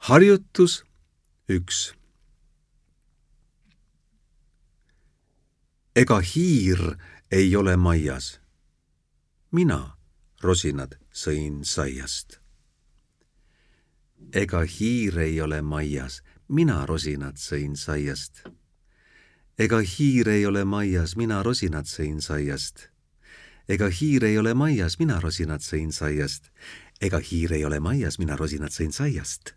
Harjutus 1. Ega hiir ei ole maias. Mina, rosinad, sõin saiast. Ega hiir ei ole maias. Mina, rosinad, sõin saiast. Ega hiir ei ole maias. Mina, rosinad, sõin saiast. Ega hiir ei ole maias. Mina, rosinad, sõin saiast. Ega hiir ei ole maias. Mina, rosinad, sõin saiast.